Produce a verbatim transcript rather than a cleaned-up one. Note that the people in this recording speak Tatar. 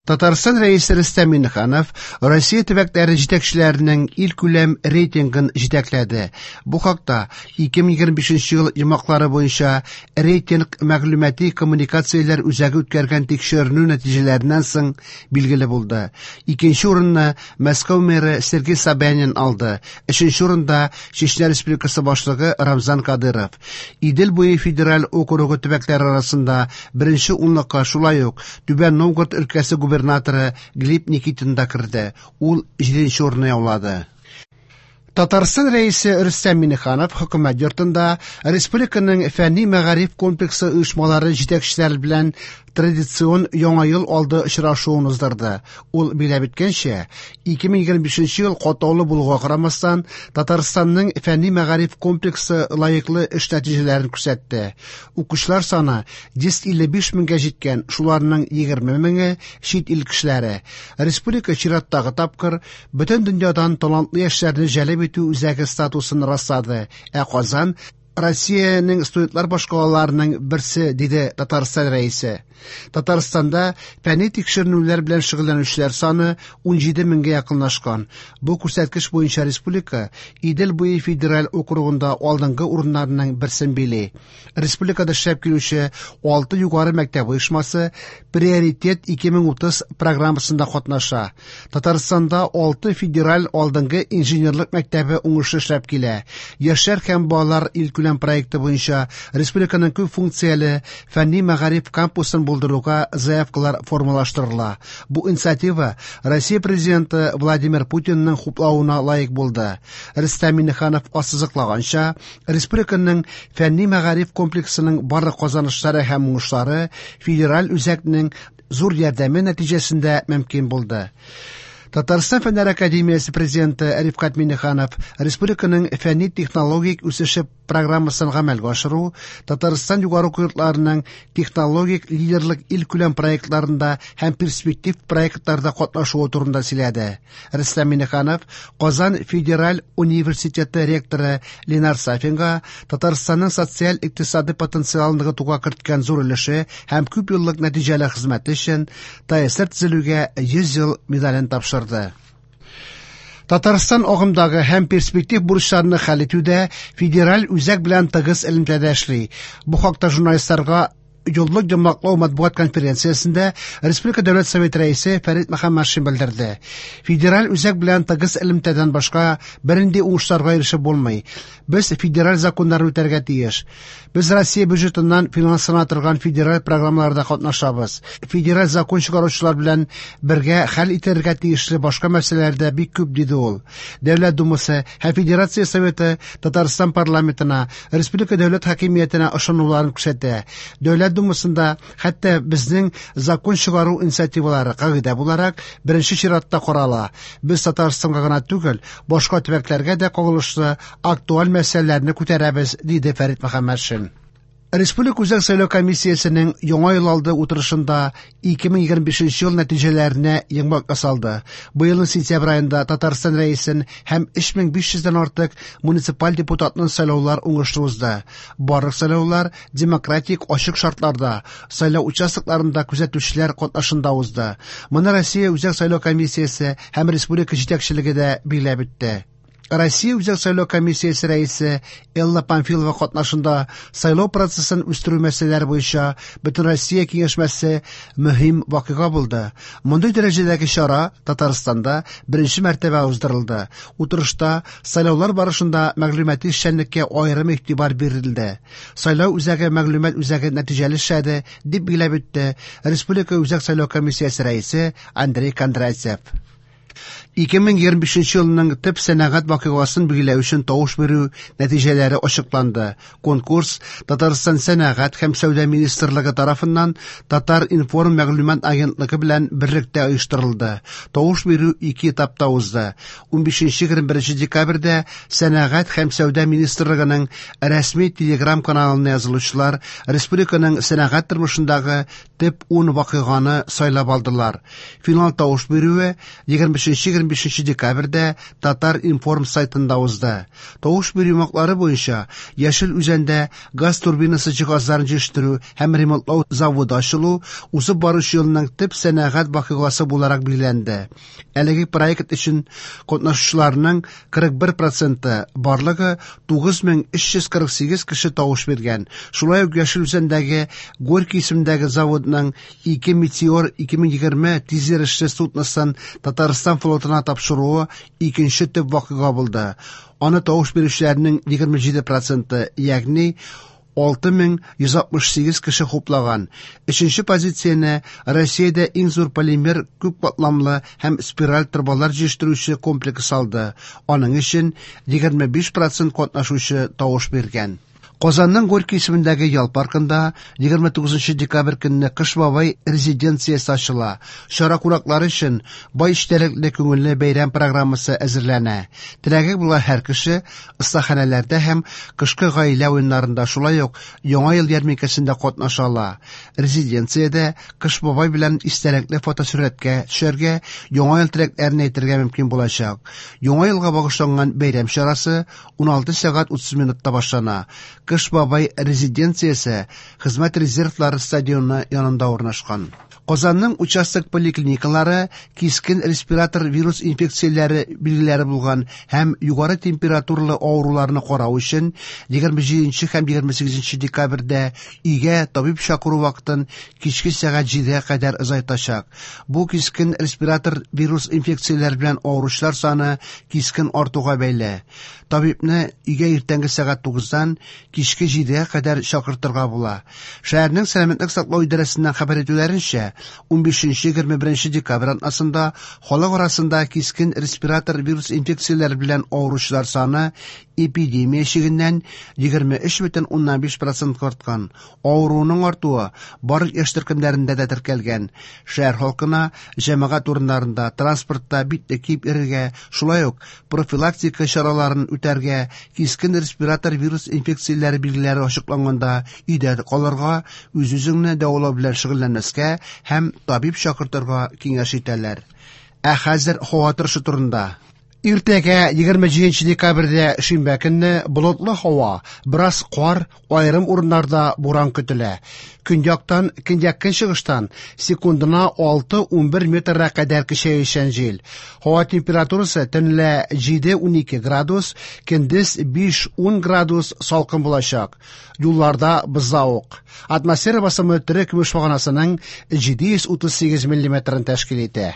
Татарстан Рәисе Рөстәм Миңнеханов Россия төбәкләре җитәкчеләренең илкүләм рейтингын җитәкләде. Бу хакта ике мең егерме бишенче ел йомгаклары буенча рейтинг мәгълүмати коммуникацияләр үзәге үткәргән тикшеренү нәтиҗәләреннән соң билгеле булды. Икенче урынны Мәскәү мэры Сергей Собянин алды. Өченче урында Чечня Республикасы башлыгы Рамзан Кадыров. Идел буе федераль округы төбәкләре арасында беренче унлыкка шулай ук Түбән Новгород өлкәсе губернаторы Глеб Никитин да керде. Ул җиденче урынны яулады. Татарстан Рәисе Рөстәм Миңнеханов хөкүмәт йортында республиканың фәнни мәгариф комплексы оешмалары җитәкчеләре белән традицион Яңа ел алды очрашуын уздырды. Ул билгеләп үткәнчә, ике мең егерме бишенче ел катлаулы булуга карамастан, Татарстанның фәнни мәгариф комплексы лаеклы эш нәтиҗәләрен күрсәтте. Укучылар саны йөз илле биш меңгә җиткән, шуларның егерме меңе чит ил кешеләре. Республика чираттагы тапкыр бөтен дөньядан талантлы яшьләрне җәлеп итү үзәге статусын раслады. Ә Казан Россиянең студентлар башкалаларының берсе, диде Татарстан Рәисе. Татарстанда фәнни тикшеренүләр белән шөгыльләнүчеләр саны ун җиде меңгә якынлашкан. Бу күрсәткеч буенча республика Идел буе федераль округында алдынгы урыннарның берсен били. Республикада эшләп килүче алты югары мәктәп оешмасы Приоритет ике мең утыз программасында катнаша. Татарстанда алты федераль алдынгы инженерлык мәктәбе уңышлы эшләп килә. Яшьләр һәм балалар илкүләм проекты буенча республиканың күп функцияле фәнни мәгариф кампусын булдыруга заявкалар формалаштырыла. Бу инициатива Россия президенты Владимир Путинның хуплавына лаек булды. Рөстәм Миңнеханов ассызыклаганча, республиканың фәнни мәгариф комплексының барлык казанышлары һәм уңышлары федераль үзәкнең зур ярдәме нәтиҗәсендә мөмкин булды. Татарстан Фәннәр Академиясе президенты Рифкать Миңнеханов республиканың фәнни технологик үсеше программасын гамәлгә ашыру, Татарстан югары уку йортларының технологик лидерлык илкүләм проектларында һәм перспектив проектларда катнашуы турында сөйләде. Рөстәм Миңнеханов Казан федераль университеты ректоры Ленар Сафинга Татарстанның социаль-икътисади потенциалын ныгытуга керткән зур өлеше һәм күп еллык нәтиҗәле хезмәте өчен ТАССР төзелүгә йөз ел медален тапшырды. Татарстан агымдагы һәм перспектив бурычларны хәл итүдә федераль үзәк белән тыгыз элемтәдә эшли. Бу хакта журналистларга еллык йомгаклау матбугат конференциясендә Республика Дәүләт Советы рәисе Фәрит Мөхәммәтшин белдерде. Федераль үзәк белән тыгыз элемтәдән башка бернинди уңышларга ирешеп булмый. Без федераль законнарны үтәргә тиеш. Без Россия бюджетыннан финанслана торган федераль программаларда катнашабыз. Федераль закон чыгаручылар белән бергә хәл итәргә тиешле башка мәсьәләләр дә бик күп, диде ул. Дәүләт Думасы һәм Федерация Советы Татарстан парламентына, республика дәүләт хакимиятенә ышануларын күрсәтә. Дәүләт Думасында хәтта безнең закон чыгару инициативалары кагыйдә буларак беренче чиратта карала. Без Татарстанга гына түгел, башка төбәкләргә дә кагылышлы актуаль мәсьәләләрне күтәрәбез, диде Фәрит Мөхәммәтшин. Республика Үзәк сайлау комиссиясенең яңа ел алды утырышында ике мең егерме бишенче ел нәтиҗәләренә йомгак ясалды. Быелның сентябрь аенда Татарстан рәисен һәм өч мең биш йөздән артык муниципаль депутатны сайлаулар уңышлы узды. Барлык сайлаулар демократик ачык шартларда, сайлау участокларында күзәтүчеләр катнашында узды. Моны Россия Үзәк сайлау комиссиясе һәм республика җитәкчелеге дә билгеләп үтте. Россия Үзәк сайлау комиссиясе рәисе Элла Памфилова катнашында сайлау процессын үстерү мәсьәләләре буенча Бөтенроссия киңәшмәсе мөһим вакыйга булды. Мондый дәрәҗәдәге чара Татарстанда беренче мәртәбә уздырылды. Утырышта сайлаулар барышында мәгълүмати эшчәнлеккә аерым игътибар бирелде. Сайлау үзәге мәгълүмат үзәге нәтиҗәле эшләде, дип билгеләп үтте Республика Үзәк сайлау комиссиясе рәисе Андрей Кондратьев. Ике мең егерме бишенче елның төп сәнәгать вакыйгасын билгеләү өчен тавыш бирү нәтиҗәләре ачыкланды. Конкурс Татарстан Сәнәгать һәм Сәүдә министрлыгы тарафыннан Татар-информ мәгълүмат агентлыгы белән берлектә оештырылды. Тавыш бирү ике этапта узды. Ун бишенче егерме беренче декабрьдә Сәнәгать һәм Сәүдә министрлыгының рәсми Телеграм каналына язылучылар республиканың сәнәгать тормышындагы төп ун вакыйганы сайлап алдылар. Финал тавыш бирүе егерме егерме бишенче декабрьдә Татар-информ сайтында узды. Тавыш бирү йомгаклары буенча Яшел Үзәндә газ турбинасы җиһазларын җитештерү һәм ремонтлау заводы ачылу узып баручы елның төп сәнәгать вакыйгасы буларак билгеләнде. Әлеге проект өчен катнашучыларның кырык бер проценты, барлыгы тугыз мең өч йөз кырык сигез кеше тавыш биргән. Шулай ук Яшел Үзәндәге Горький исемендәге заводның ике Метеор ике мең егерме тизйөрешле судносын Татарстан флотына тапшыруы икенче төп вакыйга булды. Аны тавыш бирүчеләрнең егерме җиде проценты, ягъни алты мең йөз алтмыш сигез кеше хуплаган. Өченче позицияне Россиядә иң зур полимер күп катламлы һәм спираль торбалар җитештерүче комплекс алды. Аның өчен егерме биш процент катнашучы тавыш биргән. Казанның Горький исемендәге ял паркында егерме тугызынчы декабрь көнне Кыш бабай резиденциясе ачыла. Чара кунаклары өчен бай эчтәлекле күңелле бәйрәм программасы әзерләнә. Теләге булган һәр кеше остаханәләрдә һәм кышкы гаилә уеннарында, шулай ук Яңа ел ярминкәсендә катнаша ала. Резиденциядә Кыш бабай белән истәлекле фотосурәткә төшәргә, Яңа ел теләкләрен әйтергә мөмкин булачак. Яңа елга багышланган бәйрәм чарасы уналты сәгать утыз минутта башлана. Кыш бабай резиденциясе Хезмәт резервлары стадионы янында урнашкан. Казанның участок поликлиникалары кискен респиратор вирус инфекцияләре билгеләре булган һәм югары температуралы авыруларны карау өчен егерме җиденче һәм егерме сигезенче декабрьдә өйгә табиб чакыру вакытын кичке сәгать җидегә кадәр озайтачак. Бу кискен респиратор вирус инфекцияләре белән авыручылар саны кискен артуга бәйле. Табибны өйгә иртәнге сәгать тугыздан кичке җидегә кадәр чакыртырга була. Шәһәрнең сәламәтлек саклау идарәсеннән хәбәр итүләренчә, унбишенче егерме беренче декабрь атнасында халык арасында кискен респиратор вирус инфекцияләре белән авыручылар саны эпидемия чигеннән егерме өч бөтен уннан биш процентка арткан. Авыруның артуы барлык яшь төркемнәрендә дә теркәлгән. Шәһәр халкына җәмәгать урыннарында, транспортта битлек киеп йөрергә, шулай ук профилактика чараларын үтәргә, кискен респиратор вирус инфекцияләре билгеләре ачыкланганда өйдә калырга, үз-үзеңне дәвалау белән шөгыльләнмәскә һәм табиб чакыртырга киңәш итәләр. Ә хәзер һава торышы турында. Иртәгә егерме җиденче декабрьдә шимбә көнне болытлы һава, бераз кар, аерым урыннарда буран көтелә. Көньяктан, көньяк-көнчыгыштан секундына алты-унбер метрга кадәр көчәючән җил. Һава температурасы төнлә җиде-унике градус, көндез биш-ун градус салкын булачак. Юлларда бозлавык. Атмосфера басымы тере көмеш баганасының җиде йөз утыз сигез миллиметрын тәшкил итә.